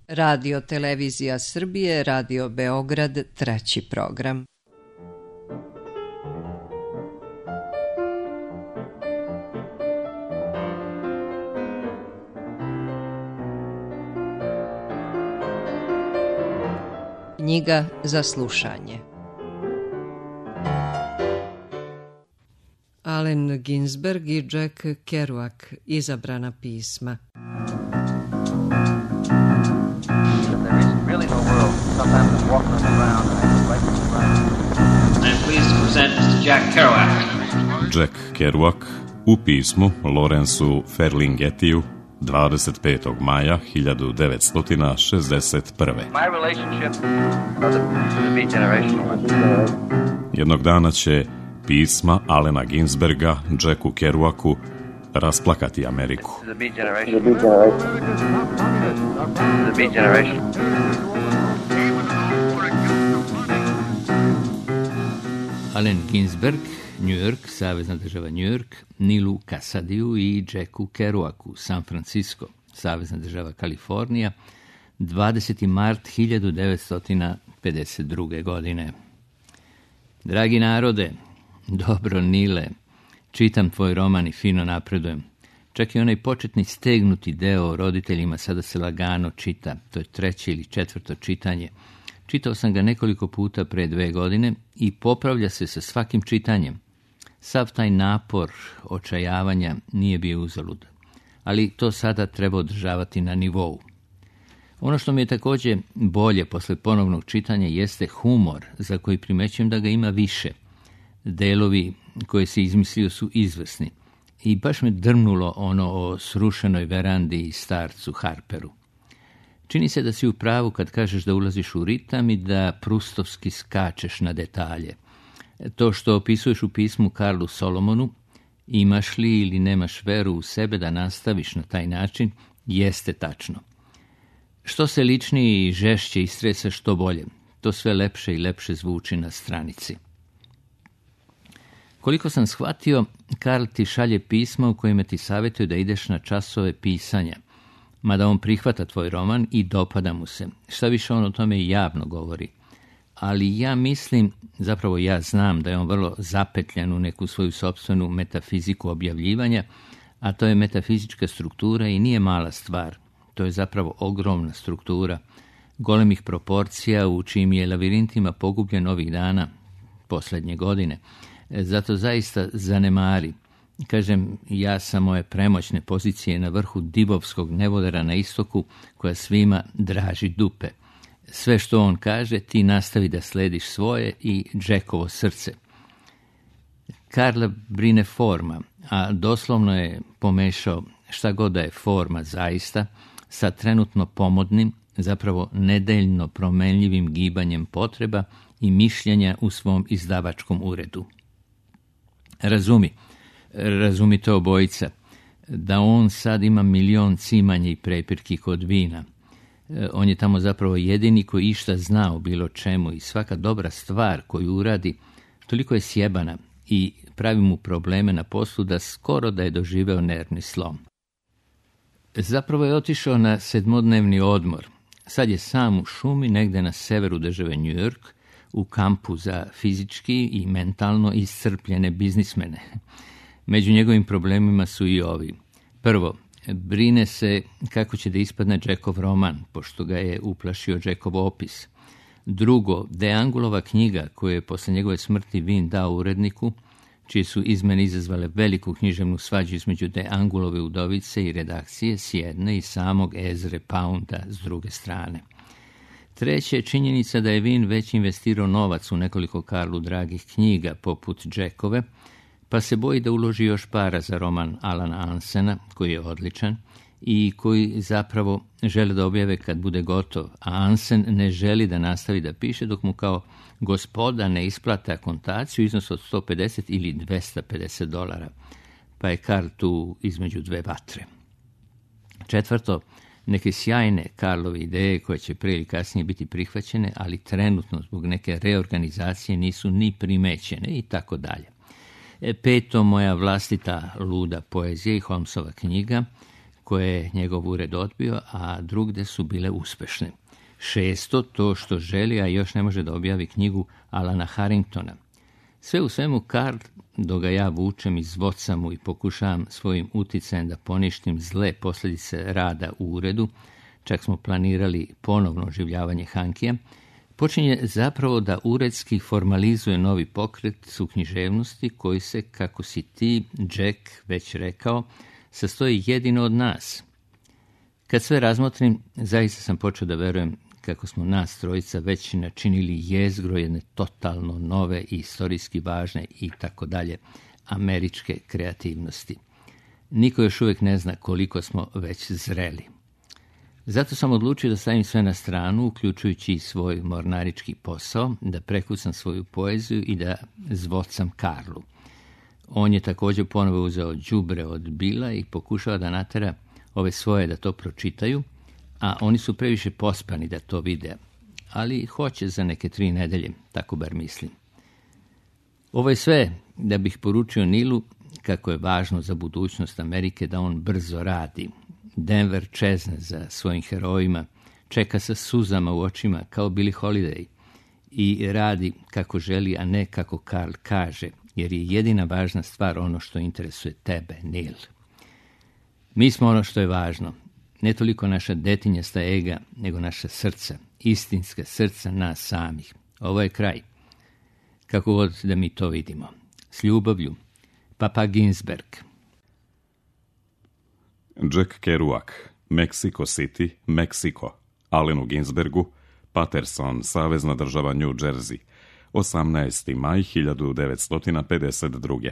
Radio Televizija Srbije, Radio Beograd, treći program. Knjiga za slušanje. Allen Ginsberg i Jack Kerouac, izabrana pisma. Jack Kerouac u pismu Lawrenceu Ferlinghettiju 25. maja 1961. Jednog dana će pisma Allena Ginsberga Jacku Kerouacu rasplakati Ameriku. Allen Ginsberg, New York, Savezna država New York, Nilu Kasadiju i Jacku Kerouacu, San Francisco, Savezna država Kalifornija, 20. mart 1952. godine. Dragi narode, dobro Nile, čitam tvoj roman i fino napredujem. Čak i onaj početni stegnuti deo o roditeljima sada se lagano čita, to je 3. ili 4. čitanje. Čitao sam ga nekoliko puta pre 2 godine i popravlja se sa svakim čitanjem. Sav taj napor očajavanja nije bio uzalud, ali to sada treba održavati na nivou. Ono što mi je također bolje posle ponovnog čitanja jeste humor, za koji primećujem da ga ima više. Delovi koje se izmislio su izvrsni i baš me drmnulo ono o srušenoj verandi i starcu Harperu. Čini se da si u pravu kad kažeš da ulaziš u ritam i da prustovski skačeš na detalje. To što opisuješ u pismu Karlu Solomonu, imaš li ili nemaš veru u sebe da nastaviš na taj način, jeste tačno. Što se ličnije i žešće istresa, što bolje. To sve lepše i lepše zvuči na stranici. Koliko sam shvatio, Karl ti šalje pisma u kojima ti savjetuje da ideš na časove pisanja, mada on prihvata tvoj roman i dopada mu se. Šta više, on o tome javno govori. Ali ja mislim, zapravo ja znam da je on vrlo zapetljan u neku svoju sopstvenu metafiziku objavljivanja, a to je metafizička struktura i nije mala stvar. To je zapravo ogromna struktura, golemih proporcija u čijim je lavirintima pogubljen ovih dana, posljednje godine. Zato zaista zanemari. Kažem, ja sam moje premoćne pozicije na vrhu divovskog nevodara na istoku, koja svima draži dupe. Sve što on kaže, ti nastavi da slediš svoje i Jackovo srce. Karla brine forma, a doslovno je pomešao šta god da je forma zaista, sa trenutno pomodnim, zapravo nedeljno promenljivim gibanjem potreba i mišljenja u svom izdavačkom uredu. Razumite obojica, da on sad ima 1.000.000 cimanja i prepirki kod vina. On je tamo zapravo jedini koji išta zna o bilo čemu i svaka dobra stvar koju uradi toliko je sjebana i pravi mu probleme na poslu da skoro da je doživeo nervni slom. Zapravo je otišao na 7-dnevni odmor. Sad je sam u šumi negde na severu države New York, u kampu za fizički i mentalno iscrpljene biznismene. Među njegovim problemima su i ovi. Prvo, brine se kako će da ispadne Jackov roman, pošto ga je uplašio Jackov opis. Drugo, De Angulova knjiga, koju je posle njegove smrti Vin dao uredniku, čije su izmene izazvale veliku književnu svađu između De Angulove udovice i redakcije s jedne i samog Ezre Pounda s druge strane. Treće je činjenica da je Vin već investirao novac u nekoliko Karlu dragih knjiga poput Jackove, pa se boji da uloži još para za roman Alana Ansena, koji je odličan i koji zapravo žele da objave kad bude gotov, a Ansen ne želi da nastavi da piše dok mu kao gospoda ne isplate akontaciju iznos od $150 ili $250, pa je Karl tu između dve vatre. Četvrto, neke sjajne Karlove ideje koje će prije ili kasnije biti prihvaćene, ali trenutno zbog neke reorganizacije nisu ni primećene i tako dalje. Peto, moja vlastita luda poezija i Holmesova knjiga, koje je njegov ured odbio, a drugde su bile uspešne. 6. to što želi, a još ne može da objavi knjigu Alana Harringtona. Sve u svemu, Karl, dok ga ja vučem iz Watsamu i pokušavam svojim uticajem da poništim zle posljedice rada u uredu, čak smo planirali ponovno oživljavanje Hankija, počinje zapravo da uredski formalizuje novi pokret u književnosti koji se, kako si ti, Jack, već rekao, sastoji jedino od nas. Kad sve razmotrim, zaista sam počeo da verujem kako smo nas trojica već načinili jezgro jedne totalno nove i istorijski važne i tako dalje američke kreativnosti. Niko još uvijek ne zna koliko smo već zreli. Zato sam odlučio da stavim sve na stranu, uključujući i svoj mornarički posao, da prekucam svoju poeziju i da zvocam Karlu. On je također ponovo uzeo đubre od Bila i pokušava da natera ove svoje da to pročitaju, a oni su previše pospani da to vide, ali hoće za neke 3 nedelje, tako bar mislim. Ovo je sve da bih poručio Nilu kako je važno za budućnost Amerike da on brzo radi. Denver čezne za svojim herojima, čeka sa suzama u očima kao Billie Holiday i radi kako želi, a ne kako Karl kaže, jer je jedina važna stvar ono što interesuje tebe, Nil. Mi smo ono što je važno, ne toliko naša detinjasta ega, nego naša srca, istinska srca nas samih. Ovo je kraj. Kako god da mi to vidimo. S ljubavlju, Papa Ginsberg. Jack Kerouac, Mexico City, Meksiko, Allenu Ginsbergu, Paterson, Savezna država New Jersey, 18. maj 1952.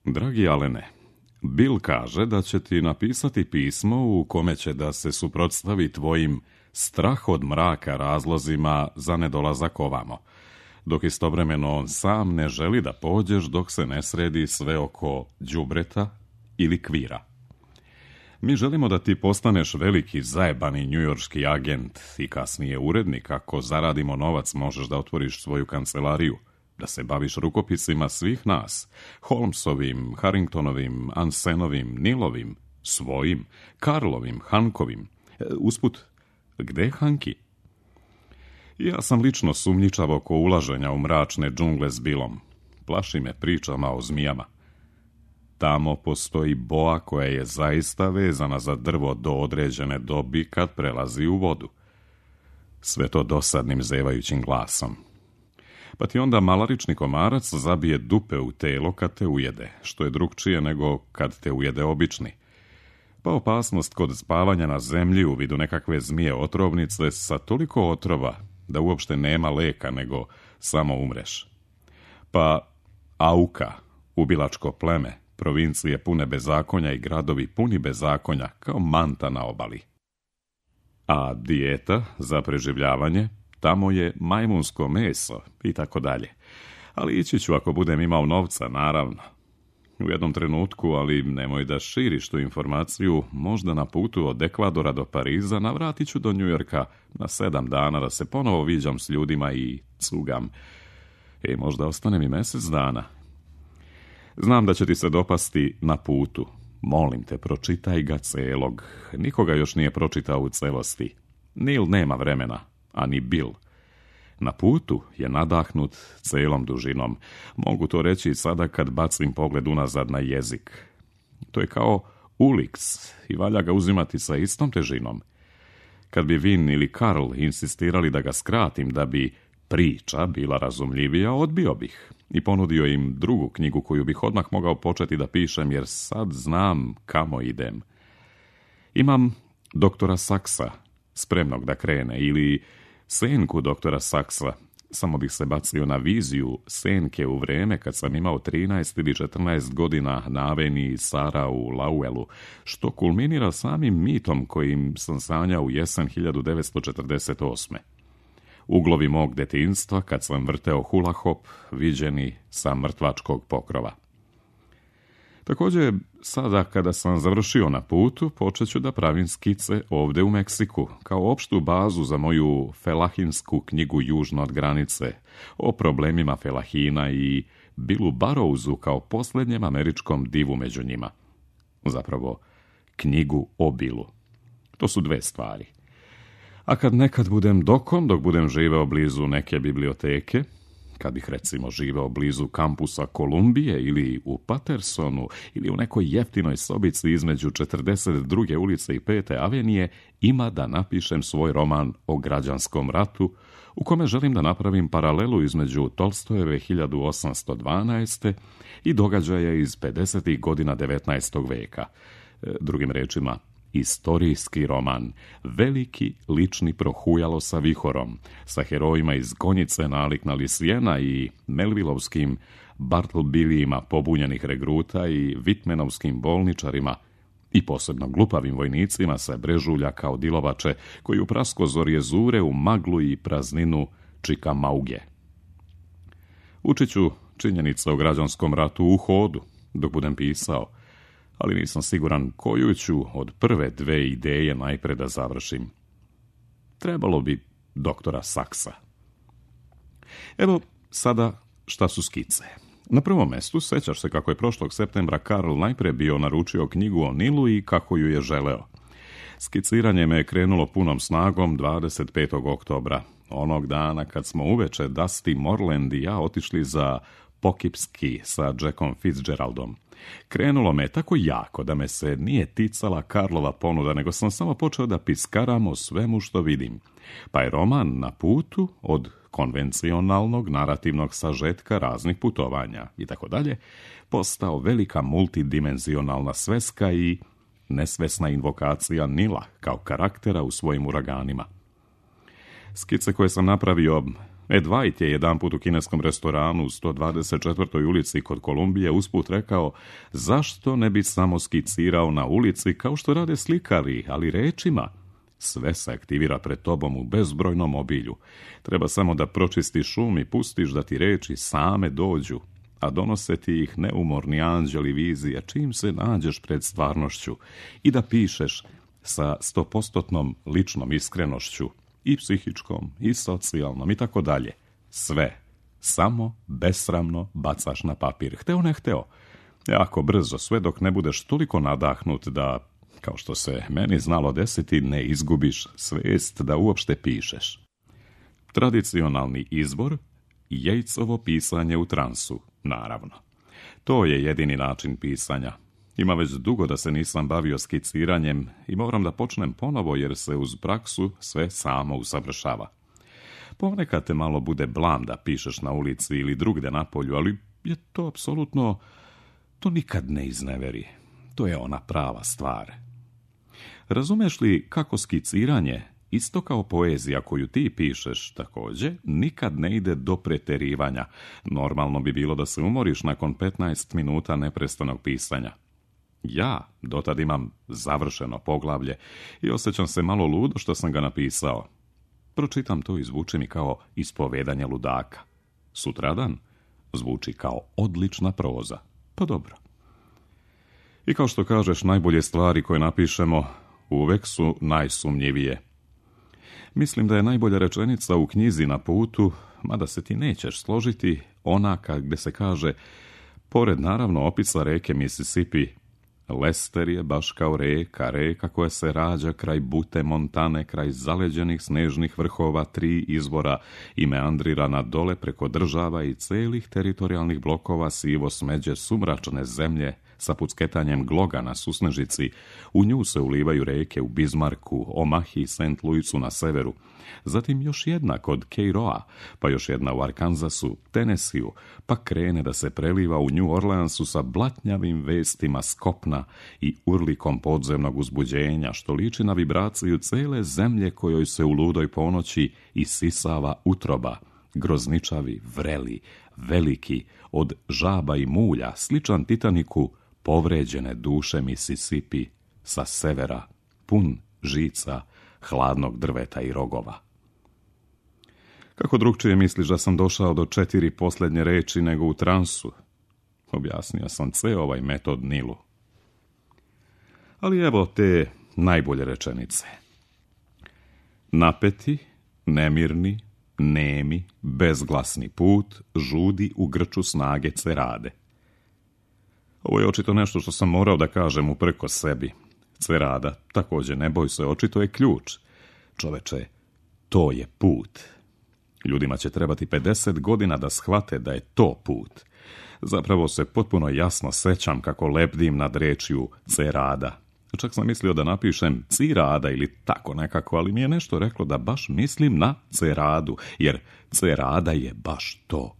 Dragi Alene, Bill kaže da će ti napisati pismo u kome će da se suprotstavi tvojim strah od mraka razlozima za nedolazak ovamo, dok istovremeno on sam ne želi da pođeš dok se ne sredi sve oko đubreta ili kvira. Mi želimo da ti postaneš veliki zajebani njujorški agent i kasnije urednik. Ako zaradimo novac, možeš da otvoriš svoju kancelariju, da se baviš rukopisima svih nas, Holmesovim, Harringtonovim, Ansenovim, Nilovim, svojim, Karlovim, Hankovim. Usput, gde je Hanki? Ja sam lično sumnjičav oko ulaženja u mračne džungle s Billom. Plaši me pričama o zmijama. Tamo postoji boa koja je zaista vezana za drvo do određene dobi kad prelazi u vodu. Sve to dosadnim zevajućim glasom. Pa ti onda malarični komarac zabije dupe u telo kad te ujede, što je drugčije nego kad te ujede obični. Pa opasnost kod spavanja na zemlji u vidu nekakve zmije otrovnice sa toliko otrova da uopšte nema leka nego samo umreš. Pa Auka, ubilačko pleme, provincije pune bezakonja i gradovi puni bezakonja kao manta na obali. A dijeta za preživljavanje, tamo je majmunsko meso i tako dalje. Ali ići ću ako budem imao novca, naravno. U jednom trenutku, ali nemoj da širiš tu informaciju, možda na putu od Ekvadora do Pariza navratit ću do Njujorka na 7 dana da se ponovo viđam s ljudima i cugam. Možda ostane mi mjesec dana. Znam da će ti se dopasti Na putu. Molim te, pročitaj ga celog. Nikoga još nije pročitao u celosti. Neil nema vremena, a ni Bill. Na putu je nadahnut celom dužinom. Mogu to reći sada kad bacim pogled unazad na jezik. To je kao Ulix i valja ga uzimati sa istom težinom. Kad bi Vin ili Karl insistirali da ga skratim da bi priča bila razumljivija, odbio bih i ponudio im drugu knjigu koju bih odmah mogao početi da pišem, jer sad znam kamo idem. Imam doktora Saksa, spremnog da krene, ili senku doktora Saksa, samo bih se bacio na viziju senke u vreme kad sam imao 13 ili 14 godina na aveniji Sara u Lowellu, što kulminira samim mitom kojim sam sanjao u jesen 1948. Uglovi mog detinjstva kad sam vrteo hula hop, viđeni sa mrtvačkog pokrova. Također, sada kada sam završio Na putu, počet ću da pravim skice ovde u Meksiku, kao opštu bazu za moju felahinsku knjigu Južno od granice, o problemima felahina i Billu Burroughsu kao posljednjem američkom divu među njima. Zapravo, knjigu o Billu. To su dve stvari. A kad nekad budem dok budem živeo blizu neke biblioteke, kad bih recimo živeo blizu kampusa Kolumbije ili u Patersonu ili u nekoj jeftinoj sobici između 42. ulice i 5. avenije, ima da napišem svoj roman o građanskom ratu, u kome želim da napravim paralelu između Tolstojeve 1812. i događaja iz 50. godina 19. veka. Drugim rečima, istorijski roman, veliki lični prohujalo sa vihorom, sa herojima iz Gonjice nalik na Lisijena i Melvillovskim Bartlebillijima pobunjenih regruta i Vitmenovskim bolničarima i posebno glupavim vojnicima sa Brežulja kao dilovače koji u praskozorje zure u maglu i prazninu Čikamauge. Učit ću činjenice o građanskom ratu u hodu dok budem pisao, ali nisam siguran koju ću od prve dve ideje najpre da završim. Trebalo bi doktora Saksa. Evo sada šta su skice. Na prvom mestu sećaš se kako je prošlog septembra Karl najpre bio naručio knjigu o Nilu i kako ju je želeo. Skiciranje me je krenulo punom snagom 25. oktobra, onog dana kad smo uveče Dusty Morland i ja otišli za Poughkeepsie sa Jackom Fitzgeraldom. Krenulo me tako jako da me se nije ticala Karlova ponuda, nego sam samo počeo da piskaram o svemu što vidim. Pa je roman na putu od konvencionalnog narativnog sažetka raznih putovanja i tako dalje postao velika multidimenzionalna sveska i nesvesna invokacija Nila kao karaktera u svojim uraganima. Skice koje sam napravio, Ed White je jedanput u kineskom restoranu u 124. ulici kod Kolumbije usput rekao: zašto ne bi samo skicirao na ulici kao što rade slikari, ali rečima? Sve se aktivira pred tobom u bezbrojnom obilju. Treba samo da pročistiš um i pustiš da ti reči same dođu, a donose ti ih neumorni anđeli vizije čim se nađeš pred stvarnošću i da pišeš sa 100% ličnom iskrenošću, i psihičkom, i socijalnom, i tako dalje. Sve. Samo besramno bacaš na papir. Hteo ne hteo. Jako brzo, sve dok ne budeš toliko nadahnut da, kao što se meni znalo desiti, ne izgubiš svest da uopšte pišeš. Tradicionalni izbor, Jejcovo pisanje u transu, naravno. To je jedini način pisanja. Ima već dugo da se nisam bavio skiciranjem i moram da počnem ponovo jer se uz praksu sve samo usavršava. Ponekad te malo bude blam da pišeš na ulici ili drugde na polju, ali je to apsolutno, to nikad ne izneveri. To je ona prava stvar. Razumeš li kako skiciranje, isto kao poezija koju ti pišeš također, nikad ne ide do preterivanja. Normalno bi bilo da se umoriš nakon 15 minuta neprestanog pisanja. Ja dotad imam završeno poglavlje i osjećam se malo ludo što sam ga napisao. Pročitam to i zvuči mi kao ispovedanje ludaka. Sutradan zvuči kao odlična proza. Pa dobro. I kao što kažeš, najbolje stvari koje napišemo uvek su najsumnjivije. Mislim da je najbolja rečenica u knjizi Na putu, mada se ti nećeš složiti, ona gdje se kaže: pored naravno opisa reke Mississippi, Lester je baš kao reka koja se rađa kraj Bute Montane, kraj zaleđenih snežnih vrhova 3 izvora i meandrira na dole preko država i celih teritorijalnih blokova sivo smeđe sumračne zemlje sa pucketanjem gloga na susnežici. U nju se ulivaju reke u Bismarcku, Omahi i St. Louisu na severu. Zatim još jedna kod Keiroa, pa još jedna u Arkansasu, Tennesseeu, pa krene da se preliva u New Orleansu sa blatnjavim vestima s kopna i urlikom podzemnog uzbuđenja, što liči na vibraciju cele zemlje kojoj se u ludoj ponoći isisava utroba, grozničavi, vreli, veliki, od žaba i mulja, sličan Titaniku, povređene duše Mississippi sa severa, pun žica, hladnog drveta i rogova. Kako drugčije misliš da sam došao do 4 posljednje reči nego u transu? Objasnio sam ceo ovaj metod Nilu. Ali evo te najbolje rečenice. Napeti, nemirni, nemi, bezglasni put žudi u grču snage cerade. Ovo je očito nešto što sam morao da kažem uprkos sebi. Cerada, također ne boj se, očito je ključ. Čoveče, to je put. Ljudima će trebati 50 godina da shvate da je to put. Zapravo se potpuno jasno sećam kako lebdim nad rečju cerada. Čak sam mislio da napišem cirada ili tako nekako, ali mi je nešto reklo da baš mislim na ceradu, jer cerada je baš to.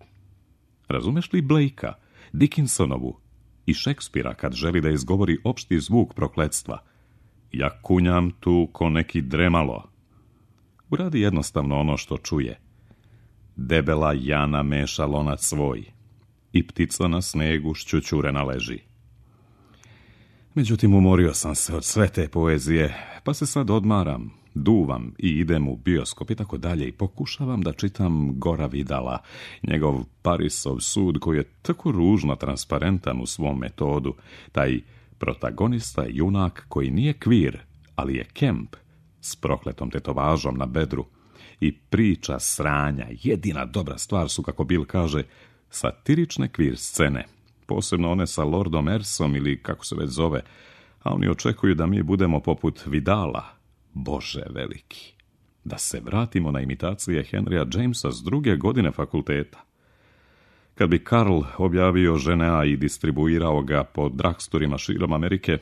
Razumeš li Blakea, Dickinsonovu i Šekspira kad želi da izgovori opšti zvuk prokletstva? Ja kunjam tu ko neki dremalo. Uradi jednostavno ono što čuje. Debela Jana meša lonac svoj i ptica na snegu šćućurena leži. Međutim, umorio sam se od sve te poezije, pa se sad odmaram, duvam i idem u bioskop i tako dalje i pokušavam da čitam Gora Vidala, njegov Parisov sud koji je tako ružno transparentan u svom metodu, taj protagonista junak koji nije kvir, ali je Kemp s prokletom tetovažom na bedru i priča sranja. Jedina dobra stvar su, kako Bill kaže, satirične kvir scene, posebno one sa Lordom Ersom ili kako se već zove, a oni očekuju da mi budemo poput Vidala. Bože veliki, da se vratimo na imitacije Henrya Jamesa s 2. godine fakulteta. Kad bi Karl objavio Ženea i distribuirao ga po dragstorima širom Amerike,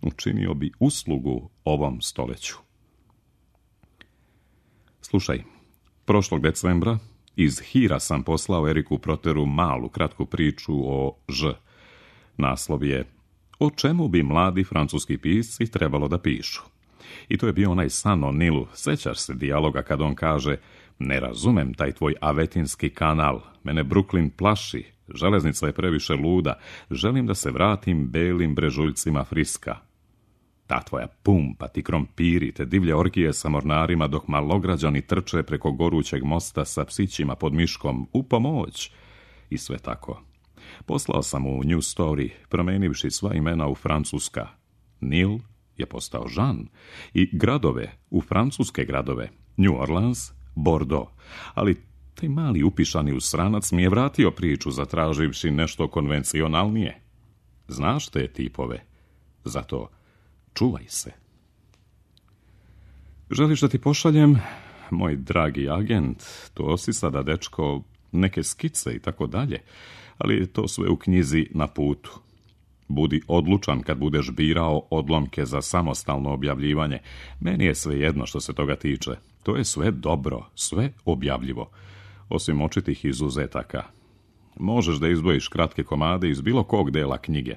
učinio bi uslugu ovom stoljeću. Slušaj, prošlog decembra iz Hira sam poslao Eriku Proteru malu, kratku priču o Ž. Naslov je O čemu bi mladi francuski pisci trebalo da pišu. I to je bio onaj san o Nilu. Sećaš se dijaloga kad on kaže: ne razumem taj tvoj avetinski kanal, mene Brooklyn plaši, železnica je previše luda, želim da se vratim belim brežuljcima Friska. Ta tvoja pumpa, ti krompiri, te divlje orgije sa mornarima dok malograđani trče preko gorućeg mosta sa psićima pod miškom, u pomoć. I sve tako. Poslao sam u New Story, promenivši sva imena u francuska. Nil je postao Jean i gradove u francuske gradove, New Orleans, Bordeaux, ali taj mali upišani usranac mi je vratio priču zatraživši nešto konvencionalnije. Znaš te tipove, zato čuvaj se. Želiš da ti pošaljem, moj dragi agent, to si sada, dečko, neke skice i tako dalje, ali to sve u knjizi Na putu. Budi odlučan kad budeš birao odlomke za samostalno objavljivanje. Meni je sve jedno što se toga tiče. To je sve dobro, sve objavljivo, osim očitih izuzetaka. Možeš da izdvojiš kratke komade iz bilo kog dela knjige.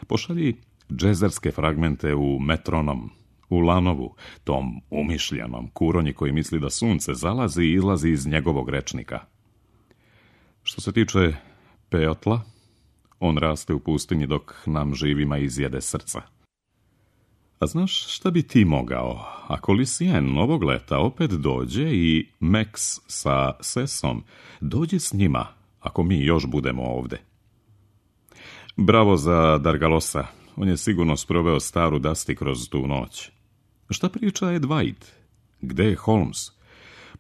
Pošalji džezerske fragmente u Metronom, u Lanovu, tom umišljenom kuronji koji misli da sunce zalazi i izlazi iz njegovog rečnika. Što se tiče Peotla, on raste u pustinji dok nam živima izjede srca. A znaš šta bi ti mogao, ako Lucien ovog leta opet dođe i Max sa Sesom dođe s njima, ako mi još budemo ovde? Bravo za Dargalosa, on je sigurno sproveo staru Dusty kroz tu noć. Šta priča Dwight? Gde je Holmes?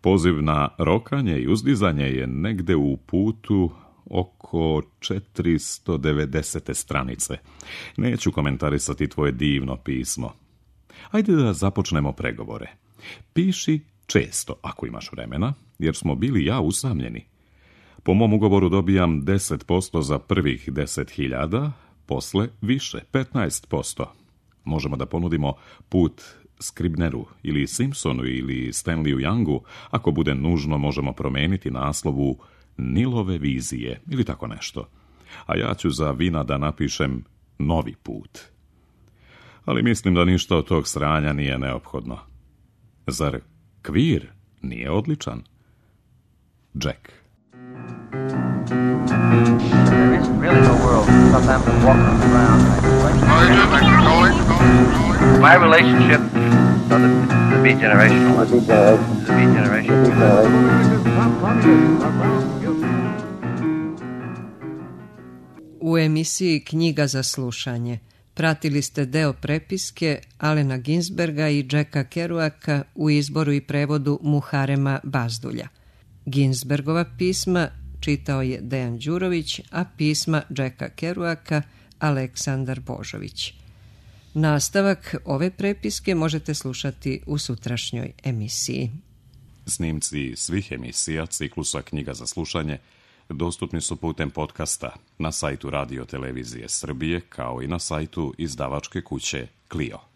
Poziv na rokanje i uzdizanje je negde u putu oko 490. stranice. Neću komentarisati tvoje divno pismo. Ajde da započnemo pregovore. Piši često, ako imaš vremena, jer smo bili ja usamljeni. Po mom ugovoru dobijam 10% za prvih 10.000, posle više, 15%. Možemo da ponudimo put Scribneru ili Simpsonu ili Stanleyu Youngu. Ako bude nužno, možemo promeniti naslovu Nilove vizije ili tako nešto. A ja ću za vina da napišem Novi put. Ali mislim da ništa od tog sranja nije neophodno. Zar kvir nije odličan? Jack. There isn't really no world. Sometimes I'm walking around like my relationship, so the beat generational. The beat generation. U emisiji Knjiga za slušanje pratili ste deo prepiske Alena Ginsberga i Jacka Kerouaka u izboru i prevodu Muharema Bazdulja. Ginsbergova pisma čitao je Dejan Đurović, a pisma Jacka Kerouaka Aleksandar Božović. Nastavak ove prepiske možete slušati u sutrašnjoj emisiji. Snimci svih emisija ciklusa Knjiga za slušanje dostupni su putem podcasta na sajtu Radio Televizije Srbije kao i na sajtu izdavačke kuće Clio.